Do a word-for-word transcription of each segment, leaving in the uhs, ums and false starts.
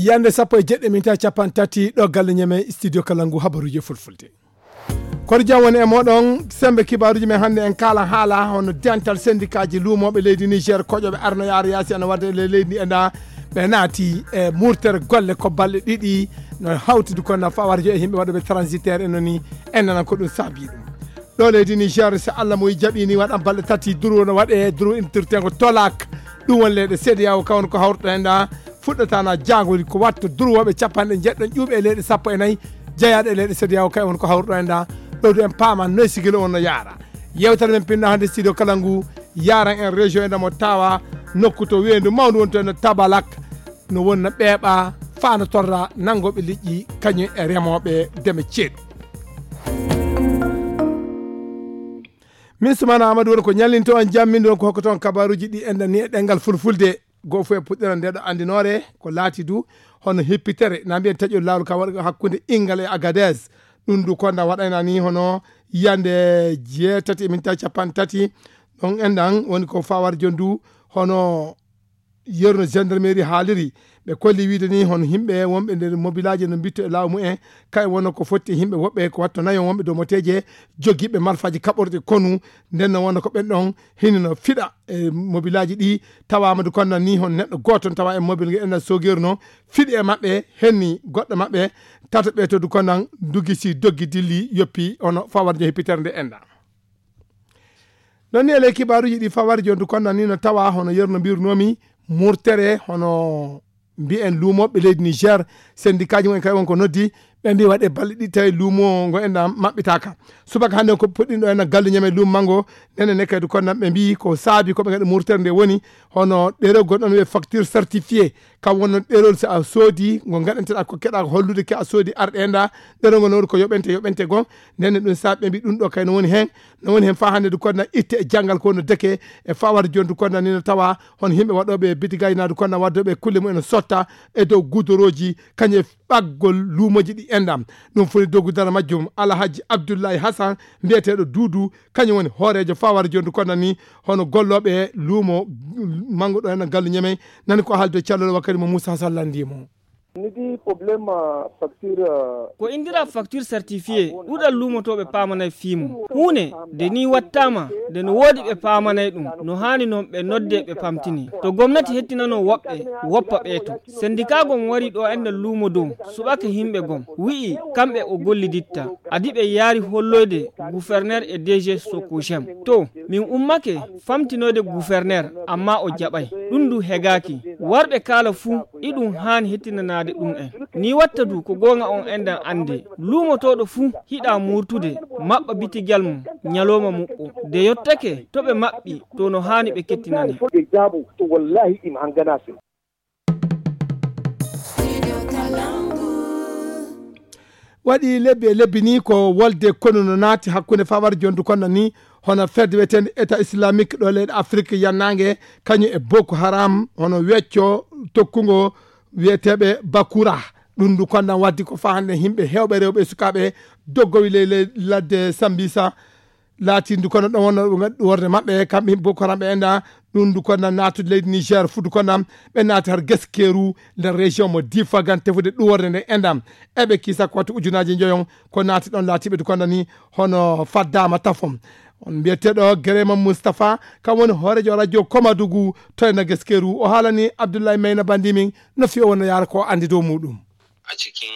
Yande sappo e jeɗɗi minti capanɗe tati ɗo galle ñeme studio Kalangu habaruji e fulfulde. Koto jam woni e moɗon, sembe kibaruji men hannde en kaala haala hono dental sendikaaji luumooɓe leydi Niger koƴoɓe arno yaara yaasi ana wadde e leydi ndi e nda ɓe naati e murtere golle ko balɗe ɗiɗi no hawtidi kono fawarjo e yimɓe waɗuɓe transitaire e noni en nana ko ɗum saabi ɗum. Ɗo leydi Niger so Allah mo jaɓi ni waɗan balɗe tati duru no waɗe duru intirtengo tolak ɗum woni leyɗe seediyawo kawon ko hawrɗo hen ɗa fuɗɗatana jangol ko watto durwoɓe capanɗe jeɗɗo ƴuuɓe e leyɗe sappo e nayi jeyaɗo e leyɗe seediyawo kay won ko hawrɗo hen ɗa ɗowdu en paama noy sigilo on no yaara. Yewtere men pinno hannde studio kala ngu yaran en région e ndemo tawa nokku to weendu mawndu woni to en tabalak no wonna ɓeeɓa fano torra nanngoɓe liƴƴi kañum e remooɓe deme ceeɗu. Min sumana amadou woni ko ñallinto on jammin ɗon ko hokkoton kabaruji ɗi enɗan ni e ɗengal fulfulde. Goo fof e puɗɗiral nde ɗo anndinoore ko laati du hono hippitere na mbiyen taƴol laawol ka waɗa hakkunde ingal e agades. Ɗum du konda waɗayna ni hono yande jeetati e minta capanɗe tati. Ɗon enɗan woni ko fawar jon du hono yerno gendarmerie haaliri. Ɓe kolli wiide ni hono yimɓe wonɓe nder mobilaaji no mbitto e laaw mumen kay wonno ko fotti e yimɓe woɓɓe ko watto nayo wonɓe dow moteeje jogiiɓe marfaaji kaɓorɗi konu. Nden no wonno ko ɓen ɗon hino no fiɗa e mobilaaji ɗi. Tawaama du konnan ni hon neɗɗo gooto tawa e mobil nge ena sogeeru no fiɗi e maɓɓe henni goɗɗo maɓɓe tata ɓe to du konnan dugisi doggi dilli yoppi hono fawarjo hippitere nde enɗa. Ɗon ni e ley kibaaruuji ɗi fawarjo du konnan ni no tawa hono yerno mbirnoomi murtere hono mbiyen luumooɓe leydi Niger. Sendikaaji mumen kay won ko noddi ɓe mbi waɗe balɗe ɗiɗi tawi luumo ngo enɗa maɓɓitaaka. Subaka hannde ko puɗɗinɗo en gallu ñame luumo mango nene ne kadi konnan ɓe mbi ko saabi ko ɓe gaɗa murtere nde woni hono ɗerewol ɗon wiye facture certifié. Kam wonno ɗerewol so a soodi ngo gaɗanteɗa ko keɗa hollude ke a soodi arɗe enɗa. Ɗerewol ngol no woni ko yoɓente yoɓente goo. Nene ɗum saabi ɓe mbi ɗum ɗo kay no woni hen no woni hen fa hannde du konnan itte e janngal ko no deke e fawar jondu konnan ni no tawa hono yimɓe waɗooɓe bitigaaji naadu konnan waddooɓe kulle mumen no sotta e dow gudorooji kañum e ɓaggol luumooji ɗi enɗam. Ɗum foti doggudana majjum alhaji abdoullahi hasan mbiyeteeɗo duudu kañum woni hooreejo fawar jondu konnan ni hono gollooɓe luumo mango ɗo enɗan gallu ñamey. Nani ko haalde callol wakkati mo moussa hasan lanndii mo. Nidi problème facture. Ko indira facture certifié ɗuɗal luumotooɓe paamanay fii mum huunde nde ni wattaama nde no woodi ɓe paamanay ɗum no haani noon ɓe nodde ɓe pamtini to gomnati hettinano woɓɓe woppa ɓee to. Sendikaago mo wari ɗo enɗan luumo dow suɓake yimɓe gom wi'i kamɓe o golliditta adi ɓe yaari holloyde guferner e dg sokosem to min ummake famtinoyde guferner amma o jaɓay. Ɗum du hegaaki warɓe kaala fuu iɗum haani hettinanaade ɗum en. Ni watta du ko goonga on enɗan annde luumotooɗo fuu hiɗa murtude maɓɓa bitigal mum ñalooma muɓɓo de yottake to ɓe maɓɓi to no haani ɓe kettinane. Waɗi lebbi e lebbi ni ko wolde konu no naati hakkunde fawar jondu konno ni hono fedde wiyetende état islamique ɗo leyɗe afrique yannange kañum e boko haram hono wecco tokkugo wiyeteɓe bakura. Ɗum ndu konnan waddi ko fa hannde yimɓe hewɓe rewɓe e sukaaɓe doggowi ley ley ladde sambisa. Laatindu kono ɗon wonno ɓe ngaɗi ɗum worde maɓɓe kamɓe yimɓe boko haram ɓe enɗa. Ɗum ndu konnan naatude leydi niger fuddu konnan ɓe naati har geskeru nder région mo difagan tefude ɗum worde nde enɗam. Eɓe kiisa ko wattu ujunaji joyon ko naati ɗon laatiɓe du konnan ni hono faddama tafon. On mbiyeteɗo gerema moustapha kam woni hoorejo radio komadugu to e naggeskeru o haalani abdoullahi mayna bandi min no fi o wonno yaara ko andi dow muɗum. A cikin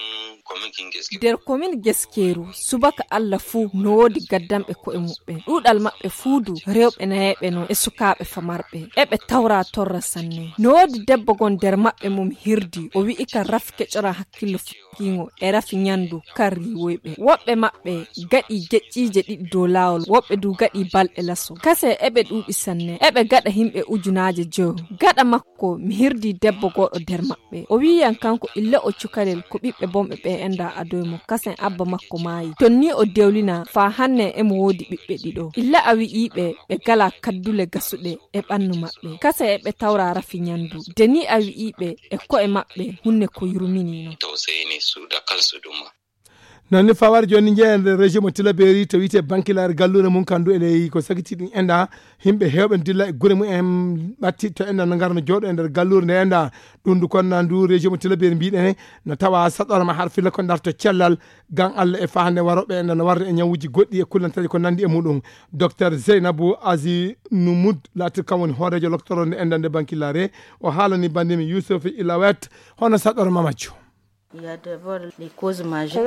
kwamitin gaske. Nder komin geskeru subaka allah fuu no woodi gaddanɓe ko'e muɓɓen ɗuuɗal maɓɓe fuu du rewɓe nayeeɓe non e sukaaɓe famarɓe eɓe tawra torra sanne. No woodi debbo gon nder maɓɓe mum hirdi o wi'i ka rafi keƴora hakkillo fukkiingo e rafi nyandu kar riiwoyɓe woɓɓe maɓɓe gaɗi geƴƴiije ɗiɗi dow laawol woɓɓe du gaɗi balɗe laso kase eɓe ɗuuɗi sanne eɓe gaɗa himɓe ujunaaje joyo. Gaɗa makko mi hirdi debbo gooɗo nder maɓɓe o wi'i yam kanko illa o cukalel ko ɓiɓɓe bonɓe ɓe enda adoy mo kasen abba makko maayi ton ni o dewlina faa hanne emo woodi ɓiɓɓe ɗiɗo illa a wi'iiɓe ɓe gala kaddule gasuɗe e ɓannu maɓɓe kasa e ɓe tawra rafi nyandu de ni a wi'iiɓe e ko'e maɓɓe hunne ko yurmini non. Tausayi ne su da kansu duma. Noon ni fawar jooni njeeya nder région mo Tilaberi to wiyetee Bankilaare galluure mum kandu e ley ko sagiti ɗum enda. Yimɓe heewɓe dilla e gure mumen ɓatti to enda no ngarno jooɗo e nder galluure nde enda. Ɗum ndu konna ndu région mo Tilaberi mbiɗen no tawa saɗorma har filla ko ndarto cellal gan Allah e fahande waroɓe enda no warde e ñawuji goɗɗi e kullantaji ko nandi e muɗum. Docteur Zeynabu Azi Numud laatir kam woni hoorejo loktoro nde enda nde Bankilaare. O haalani bandimi Yusuf Ilawet hono saɗorma majjo. Ko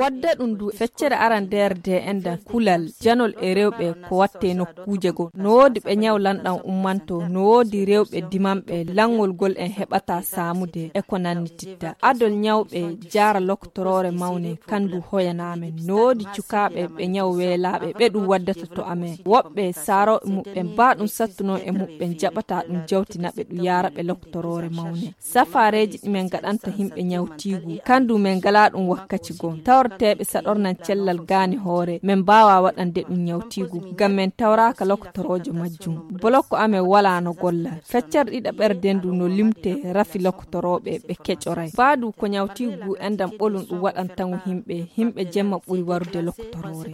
wadda ɗum du feccere arandeere de enda kulal janol e rewɓe ko watte nokkuuje goo no woodi ɓe ñaw lanɗan ummanto no woodi rewɓe dimanɓe lanngol gol en heɓata saamude e ko nannititta adol ñawɓe jaara loktoroore mawne kandu hoyanaamen no woodi cukaaɓe ɓe ñaw weelaaɓe ɓe ɗum waddata to amen woɓɓe saarooɓe muɓɓen baa ɗum sattuno e muɓɓen jaɓata ɗum jawtinaɓe ɗum yaaraɓe loktoroore mawne safaareeji ɗi men ngaɗanta yimɓe ñawtiigu kandu men ngalaa ɗum wakkaci goo tawreteeɓe saɗornan cellal gaani hoore men mbaawaa waɗande ɗum ñawtiigu ngam men tawraaka lokotoroojo majjum bolokko amen walaa no golla feccere ɗiɗaɓerde ndu no limtee rafi lokotorooɓe ɓe keƴoray baa du ko ñawtiigu enɗam ɓolum ɗum waɗanta ngu yimɓe yimɓe jemma ɓuri warude lokotoroore.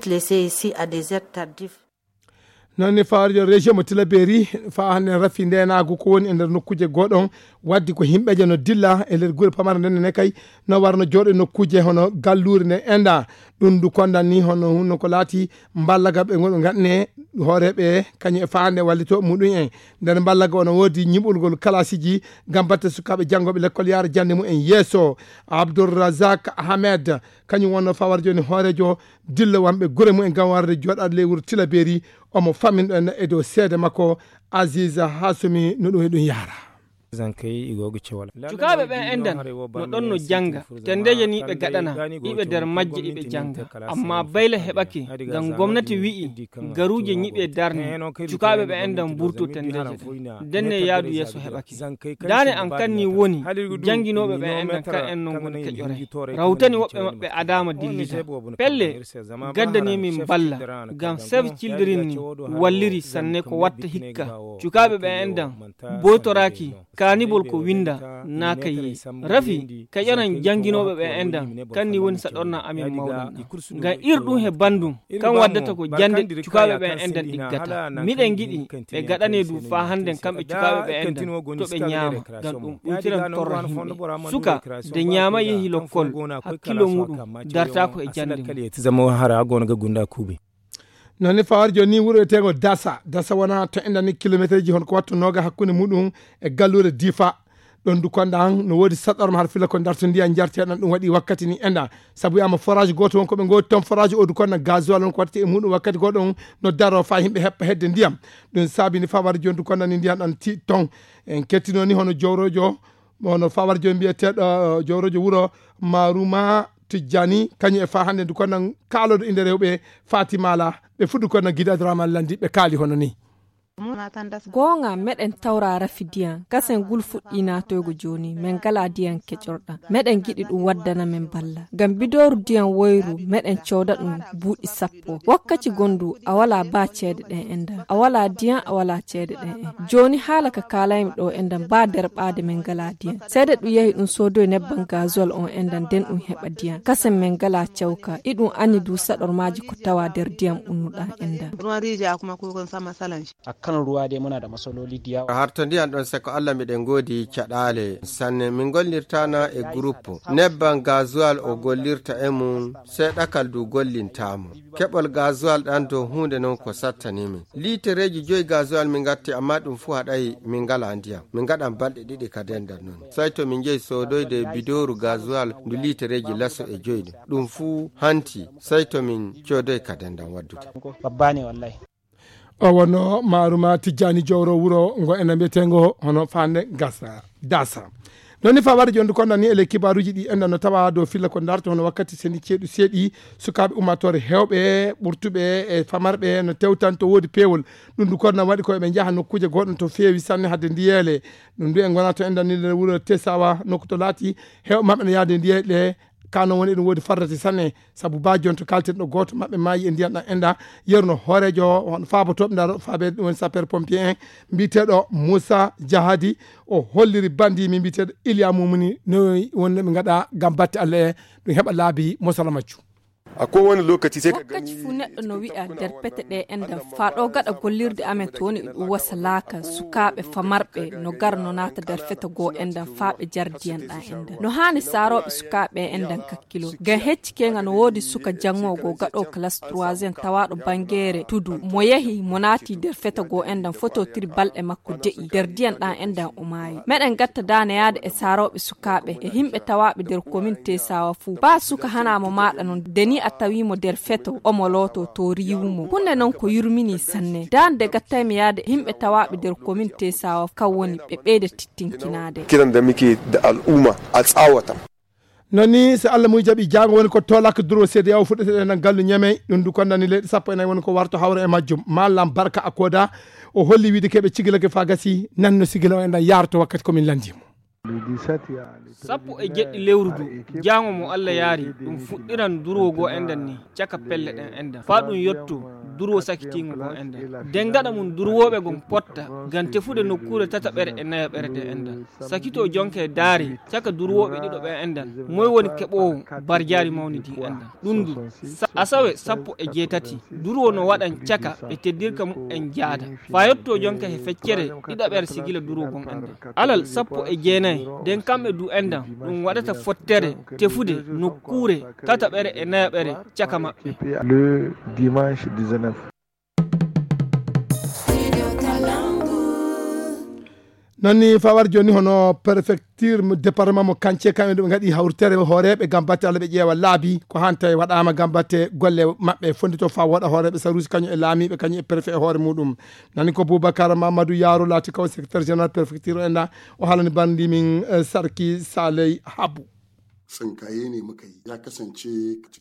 Noon ni fawarijo région mo Tilaberi faa hannde rafi ndeenaagu ko woni e nder nokkuuje goo ɗoon waddi ko yimɓeeje no dilla e nder gure pamare nden ne kay no warno jooɗo e nokkuuje hono galluure nde enda ɗum ndu kondan ni hono hunno ko laati mballaga ɓe ngonɗo nganne hooreeɓe kañum e faa hannde wallito muɗum en nder mballaga ono woodi ñiɓulgol kalasiji ngam batte sukaaɓe janngooɓe lekkol yaara jannde mumen yeeso. Abdourrazak Ahmed kañum wonno fawar jooni hooreejo dilla wonɓe gure mumen ngam warde jooɗaade ley wuro Tilaberi omo famminɗo en e dow seede makko. Aziz Hasumi no ɗum e ɗum yaara. Cukaaɓe ɓen enɗan no ɗon no jannga tenndeeje ni ɓe gaɗana iɓe nder majje iɓe jannga amma bayla heɓake ngam gomnati wi'i garuuje ñiɓe darne cukaaɓe ɓe enɗan mburto tenndeeje ɗen ndenne yaadu yeeso heɓake daane an kanni woni jannginooɓe ɓe enɗan kan en non ngoni keƴore rawtani woɓɓe maɓɓe adaama dillita pelle gaddani min balla ngam save children ni walliri sanne ko watta hikka cukaaɓe ɓe enɗan boytoraaki kaanibol ko winnda naa kayye rafi keƴoran jannginooɓe ɓe enɗan kanni woni saɗorna amin mawɗan ngam ir ɗum he banndum kan waddata ko jannde cukaaɓe ɓe enɗan ɗiggata miɗen ngiɗi ɓe gaɗane du faa hannden kamɓe cukaaɓe ɓe enɗan to ɓe ñaama ngam ɗum ɓuytiran torra himɓe suka de ñaama yehi lokkol hakkillo muɗum dartaako e jannde mum. Noon ni fawar jooni ni wuro eteengo dasa dasa wona to enɗan ni kilometereji hon ko wattu nooga hakkunde muɗum e galluure difa ɗon du konɗan no woodi saɗɗorma har fila ko darto ndiyan jarteɗan ɗum waɗi wakkati ni enɗan sabu wiyaama forage gooto won ko ɓe ngoodi toon forage o du konɗan gasoil on ko waɗtete e muɗum wakkati goo ɗon no daro faa yimɓe heɓɓa hedde ndiyam. Ɗum saabi ni fawar jooni du konɗan ni ndiyan ɗan ti toon en kettino ni hono jowrojo hono fawar jooni mbiyeteeɗo jowrojo wuro maruma tijjani kañum e faa hannde du konɗan kaaloɗo innde rewɓe fatimala ɓe fuɗɗu konɗan gida drama landi ɓe kaali hono ni. Goonga meɗen tawra rafi diyan kasen ngul fuɗɗii naatoygo jooni men ngalaa diyan keƴorɗan meɗen ngiɗi ɗum waddana men balla ngam bidooru diyan woyru meɗen cooda ɗum buuɗi sappo wakkati gondu a walaa baa ceede ɗen enɗan a walaa diyan a walaa ceede ɗen en jooni haala ka kaalaymi ɗoo enɗan baa derɓaade men ngalaa diyan seede ɗum yahi ɗum soodoy nebban gasoil on enɗan nden ɗum heɓa diyan kasen men ngalaa cawka iɗum anni du saɗormaaji ko tawa nder diyan ɓunnuɗan enɗan. Akkan ruwa dai muna da matsaloli da yawa. Har to ndiyan ɗon seko Allah miɗen ngoodi caɗaale sanne min gollirtana e groupe nebban gasoil o gollirta e mum seeɗakal du gollintamo keɓol gasoil ɗan dow huunde non ko sattani min liitereeji joyi gasoil min ngatti amma ɗum fuu haɗay min ngala ndiyan min ngaɗan balɗe ɗiɗi ka dendal non sai to min njehi soodoyde bidooru gasoil ndu liitereeji laso e joyi ɗum ɗum fuu hanti sai to min coodoy ka dendal waddude. Babba ne wallahi. O wonno maaruma tijjani jowro wuro ngo ena mbiyetengo hono fande gasa dasa. Noon ni fawade jonde konɗan ni ele kibaruji ɗi enɗan no tawa dow filla ko darto hono wakkati sendi ceeɗu seeɗi sukaaɓe ummatore hewɓe ɓurtuɓe e famarɓe no tewtanto woodi peewol. Ɗum du konɗan waɗi ko eɓe njaha nokkuuje goɗɗon to feewi sanne hadde ndiyeele. Ɗum du en gona to enɗan ni nder wuro tesawa nokku to laati hewɓe maɓɓe no yahde ndiyeele. Ka noon woni eɗum woodi fardati sanne sabu baa jonto kalten ɗo gooto maɓɓe maayi e ndiyan ɗan enɗan yeru no hooreejo hono faabotooɓe ndaro faabeede ɗum woni sapeur pompier en mbiyeteeɗo Moussa Jahadi. O holliri bandi mi mbiyeteeɗo Iliya Mumuni no woni no ɓe ngaɗa ngam batte Allah e ɗum heɓa laabi mosala majju. A kowane lokaci sai ka gani. Wakkaci fuu neɗɗo no wi'a nder pete ɗe enɗan faa ɗo gaɗa gollirde amen to woni e ɗum wasa laaka sukaaɓe famarɓe no gara no naata nder feto goo enɗan faa ɓe jardiyan ɗan enɗan. No haani saarooɓe sukaaɓe enɗan kakkilo. Ngam hecci keenga no woodi suka janngoowo gaɗoowo classe troisième tawaaɗo banngeere tudu mo yehi mo naati nder feto goo enɗan fototiri balɗe makko de'i nder diyan ɗan enɗan o maayi. Meɗen gatta daane yaade e saarooɓe sukaaɓe e himɓe tawaaɓe nder komin Tesawa fuu. Baa suka hanaa mo maaɗa non, de ni a tawii mo nder feto, omo looto to riiwu mo. Hunde non ko yurminii sanne. Daande gattay mi yaade himɓe tawaaɓe nder komin Tesawa kan woni ɓe ɓeyda tittinkinaade. Kiran da muke da al'umma a tsawata. Non ni, so Allah mum jaɓi, jaango woni ko toolak duro seede yaw fuɗɗete ɗen gallu Ñamey. Ɗum du konnani leyɗe sappo e nayi woni ko warto hawra e majjum. Mallam Barka Akoda, o holli wiide keɓe cigilake faa gasi, nan no sigila o enɗan yaarto wakkati ko min lanndii mo. Sappo e jeɗɗi lewru du, jaango mo Allah yaari, ɗum fuɗɗiran durwo goo enɗan ni, caka pelle ɗen enɗan. Faa ɗum yotto durwo sakitiingo goo enɗan. Den gaɗa mum durwooɓe gon potta, ngam tefude nokkuure tataɓere e nayaɓere de enɗan. Sakitoo jonke daare, caka durwooɓe ɗiɗo ɓe enɗan. Moy woni keɓoowo barjaari mawnidi enɗan? Ɗum du, sa-, asawe sappo e jeetati, durwo no waɗan caka ɓe teddirka muɓɓen jaada. Faa yottoo jonka he feccere ɗiɗaɓere sigila durwo gon enɗan. Alal sappo e jeenayi, den kamɓe du enɗan, ɗum waɗata fottere tefude nokkuure tataɓere e nayaɓere caka maɓɓe. Le dimanche dix-neuf. Non ni fawar jooni hono préfecture mo département mo Kance, kamɓe ɗo ɓe ngaɗi hawritere hooreeɓe ngam batte Allah ɓe ƴeewa laabi ko hanta e waɗaama ngam batte golle maɓɓe fondito faa waɗa hooreeɓe saruusi kañum e laamiiɓe kañum e préfet e hoore muɗum. Nani ko Boubacar Mamadou Yaro laati ko secrétaire général préfecture o enɗan, o haalani banndi min, eh, Sarki Saley Habu. Tsinkaye ne muka yi. Ya kasance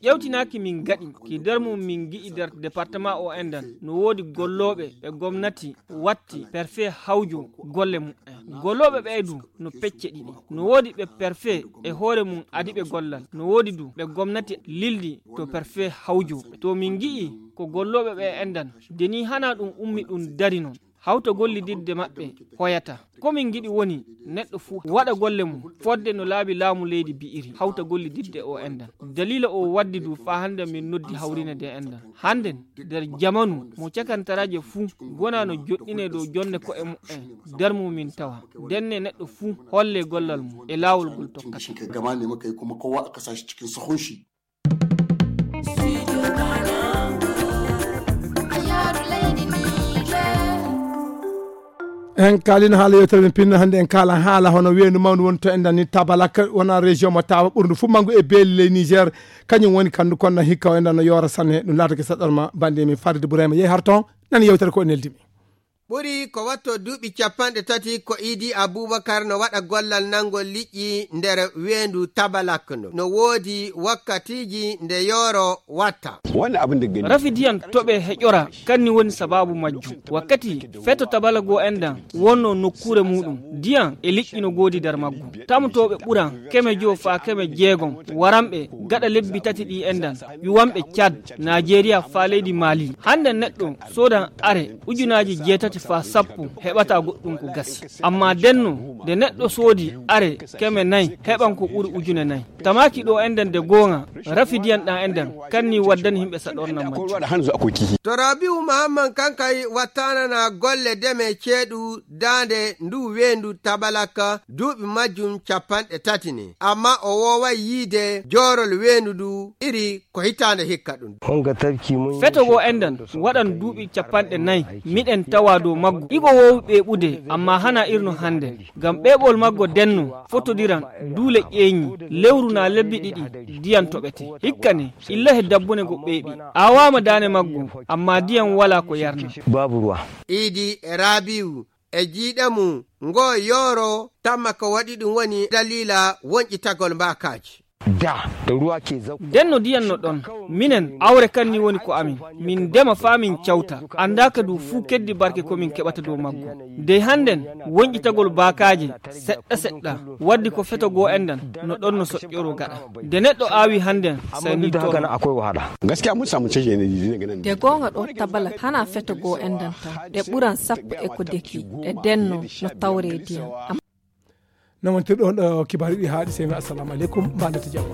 ƴewtinaaki min ngaɗi ki nder mum min ngi'i nder département o enɗan no woodi gollooɓe ɓe gomnati watti perfet hawjo golle muɓɓen. Gollooɓe ɓee du no pecce ɗiɗi. No woodi ɓe perfet e hoore mum adi ɓe gollal. No woodi du ɓe gomnati lildi to perfet hawjo. To min ngi'i ko gollooɓe ɓee enɗan, de ni hanaa ɗum ummi ɗum dari non. Hawta gollididde maɓɓe hoyata. Ko min ngiɗi woni neɗɗo fuu waɗa golle mum fodde no laabi laamu leydi bi'iri. Hawta gollididde o enɗan. Daliila o waddi du faa hannde min noddi hawrine de enɗan. Hannden nder jamanu mo cakantaraaje fuu gona no joɗɗinee dow jonne ko'e muɓɓen, nder mum min tawa. Ndenne neɗɗo fuu holle gollal mum e laawol ngol tokkata. Gama ne muka yi kuma kowa aka sa shi cikin sahun shi. En kaalino haala yewtere men pinno hannde, en kaalan haala hono weendu mawndu woni to enɗan ni Tabalak, wona région mo tawa ɓurndu fuu manngu e beeli ley Niger. Kañum woni kanndu konna hikka o enɗan no yoora sanne. Ɗum laatake saɗɗorma bannde min Farid Bourema yehi har toon nani yewtere ko neldi mi. Ɓuri ko watto duuɓi capanɗe tati ko Idi Abubakar no waɗa gollal nanngol liƴƴi nder weendu Tabalak. No woodi wakkatiiji nde yooro watta. Rafi diyan toɓe heƴora kanni woni sabaabu majjum. Wakkati feto Tabalago enɗan wonno nokkuure muɗum, diyan e liƴƴi no goodi nder maggu. Tamtooɓe ɓuran keme joo faa keme jeegom waranɓe gaɗa lebbi tati ɗi enɗan, ƴuwanɓe Cad, Najeriya faa leydi Mali. Hannde neɗɗo soodan are ujunaaji jeetati faa sappo heɓata goɗɗum ko gasi. Amma denno nde neɗɗo soodi are keme nayi heɓan ko ɓuri ujune nayi. Tamaaki ɗo enɗan de goonga, rafi diyan ɗan enɗan kanni waddani himɓe saɗornan majjum. To Rabiu Mahamman Kankay wattanana golle deme ceeɗu daande ndu weendu Tabalaka duuɓi majjum capanɗe tati ne. Amma o wooway yiide joorol weendu ndu iri ko hitaande hikka ɗum. Feto goo enɗan waɗan duuɓi capanɗe nayi, miɗen tawa dow maggu. Igo woowi ɓeeɓude, amma hana irno hannde. Ngam ɓeeɓol maggo denno fotodiran duule ƴeeñi, lewru naa lebbi ɗiɗi, diyan toɓete. Hikka ne, illa he dabbune go ɓeeɓi. Aawaama daane maggo, amma diyan walaa ko yarna. Idi e Rabiu e jiiɗe mum, ngoo yooro tamma ko waɗi ɗum woni daliila wonƴitagol mbaakaaji. Denno diyan no ɗon, minen awre kan ni woni ko amin. Min ndema faa min cawta, anndaaka du fuu keddi barke ko min keɓata dow maggo. Dey hannden wonƴitagol baakaaje seɗɗa seɗɗa waddi ko feto goo enɗan no ɗon no soƴƴoroo gaɗa. Nde neɗɗo aawi hannden, sey nii torra. Gaskiya mun samu canje ne. De goonga ɗo Tabala hanaa feto goo enɗan tan, ɗe ɓuran sappo e ko deki, ɗe denno no tawree diyan. Am- Noon wontirɗo on ɗo kibaaru ɗi haaɗi, sey mi assalamu aleykum, mbaɗa to jam.